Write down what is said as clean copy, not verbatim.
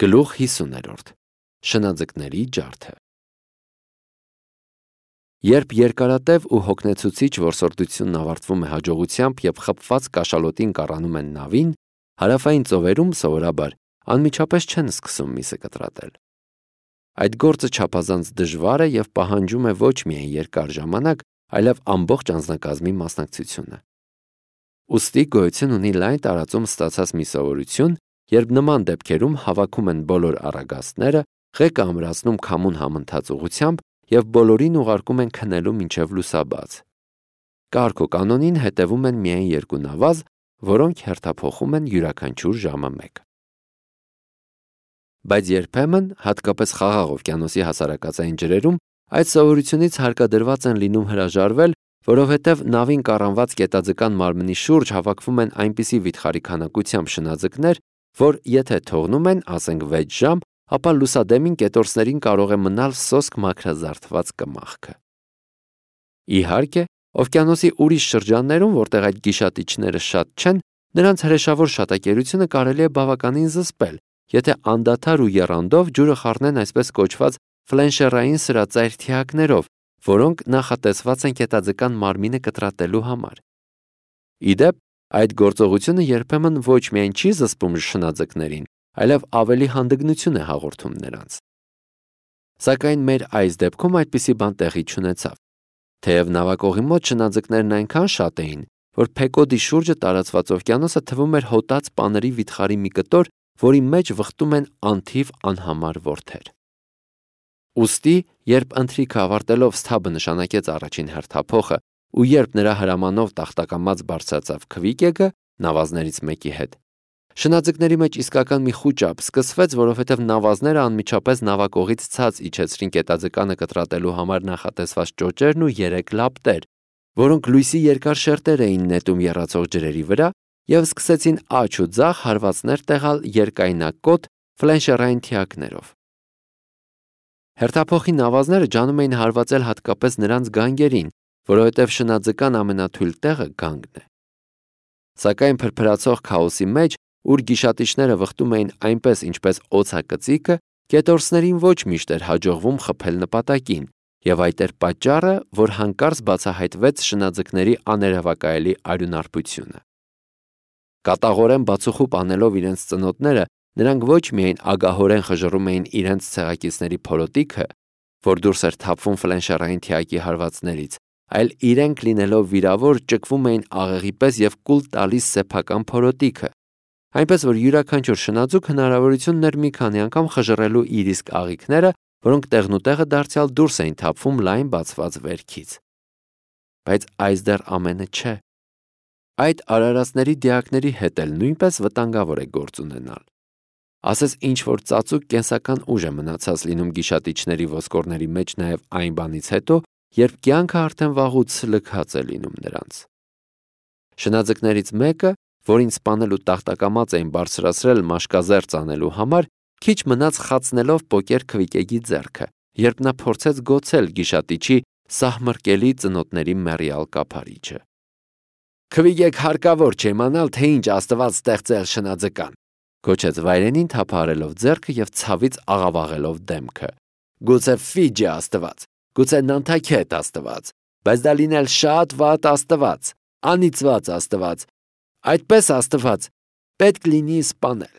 Գլուխ 50. Շնաձկների ջարդը։ Երբ երկարատև ու հոգնեցուցիչ որսորդությունն ավարտվում է հաջողությամբ և խփված կաշալոտին կառանում են նավին, հարավային ծովերում սովորաբար անմիջապես չեն սկսում միսը կտրատել։ Այդ գործը չափազանց դժվար է և պահանջում է ոչ միայն երկար ժամանակ, այլև ամբողջ անձնակազմի մասնակցությունը։ Ուստի գոյություն ունի լայն տարածում ստացած մի սովորություն, երբ նման դեպքերում հավաքում են բոլոր առագաստները, ղեկը ամրացնում քամուն համընթաց ուղղությամբ և բոլորին ուղարկում են քնելու մինչև լուսաբաց։ Կարգ ու կանոնին հետևում են միայն երկու նավազ, որոնք հերթափոխում են յուրաքանչյուր ժամը մեկ։ Բայց երբեմն, հատկապես Խաղաղ օվկիանոսի հասարակածային ջրերում, այդ սովորությունից հարկադրված են լինում հրաժարվել, որովհետև նավին կառանված կետաձկան մարմնի շուրջ հավաքվում են այնպիսի վիթխարի քանակությամբ շնաձկներ, որ եթե թողնում են, ասենք 6 ժամ, ապա լուսադեմին կետորսներին կարող է մնալ սոսկ մաքրազարդված կմախքը։ Իհարկե, օվկիանոսի ուրիշ շրջաններում, որտեղ այդ գիշատիչները շատ չեն, նրանց հրեշավոր շատակերությունը կարելի է բավականին զսպել, եթե անդադար ու եռանդով ջուրը խառնեն այսպես կոչված ֆլենշերային սրածայր թիակներով, որոնք նախատեսված են կետաձկան մարմինը կտրատելու համար։ Ի դեպ, այդ գործողությունը երբեմն ոչ միայն չի զսպում շնաձկներին, այլև ավելի հանդգնություն է հաղորդում նրանց։ Սակայն մեր այս դեպքում այդպիսի բան տեղի չունեցավ։ Թեև նավակողի մոտ շնաձկներն այնքան շատ էին, որ Փեկոդի շուրջը տարածված օվկիանոսը թվում էր հոտած պաների վիթխարի մի կտոր, որի մեջ վխտում են անթիվ անհամար որդեր։ Ուստի, երբ ընթրիքը ավարտելով Սթաբը նշանակեց առաջին հերթափոխը, ու երբ նրա հրամանով տախտակամած բարձրացավ Քվիկեգը նավազներից մեկի հետ, շնաձկների մեջ իսկական մի խուճապ սկսվեց, որովհետև նավազները անմիջապես նավակողից ցած իջեցրին կետաձկանը կտրատելու համար նախատեսված ճոճերն ու 3 լապտեր, որոնք լույսի երկար շերտեր էին նետում եռացող ջրերի վրա և սկսեցին աջ ու ձախ հարվածներ տեղալ երկայնակոտ ֆլենշերային թիակներով։ Հերթափոխի նավազները ջանում էին հարվածել հատկապես նրանց գանգերին, որովհետև շնաձկան ամենաթույլ տեղը գանգն է։ Սակայն փրփրացող քաոսի մեջ, ուր գիշատիչները վխտում էին այնպես, ինչպես օձակծիկը, կետորսներին ոչ միշտ էր հաջողվում խփել նպատակին, և այդ էր պատճառը, որ հանկարծ բացահայտվեց շնաձկների աներևակայելի արյունարբությունը։ Կատաղորեն բացուխուպ անելով իրենց ծնոտները, նրանք ոչ միայն ագահորեն խժռում էին իրենց ցեղակիցների փորոտիքը, որ դուրս էր թափվում ֆլենշերային թիակի հարվածներից, այլ իրենք լինելով վիրավոր ճկվում էին աղեղի պես և կուլ տալիս սեփական փորոտիքը, այնպես որ յուրաքանչյուր շնաձուկ հնարավորություն ուներ մի քանի անգամ խժռելու իր իսկ աղիքները, որոնք տեղնուտեղը դարձյալ դուրս էին թափվում լայն բացված վերքից։ Բայց այս դեռ ամենը չէ։ Այդ արարածների դիակների հետ էլ նույնպես վտանգավոր է գործ ունենալ։ Ասես ինչ-որ ծածուկ կենսական ուժ է մնացած լինում գիշատիչների ոսկորների մեջ նաև այն բանից հետո, երբ կյանքը արդեն վաղուց լքած է լինում նրանց։ Շնաձկներից մեկը, որին սպանելու տախտակամած էին բարձրացրել մաշկազերծ անելու համար, քիչ մնաց խացնելով պոկեր Քվիկեգի ձեռքը, երբ նա փորձեց գոցել գիշատիչի սահմռկելի ծնոտների մեռյալ կափարիչը։ Քվիկեգ հարկավոր չէ իմանալ, թե ինչ Աստված ստեղծել շնաձկան, գոչեց վայրենին թափահարելով ձեռքը և ցավից աղավաղելով դեմքը։ Գուցե Ֆիջի Աստված, գուցե Նանթաքետ Աստված, բայց դա լինել շատ վատ Աստված, անիծված Աստված, այդպես Աստված պետք լինի սպանել։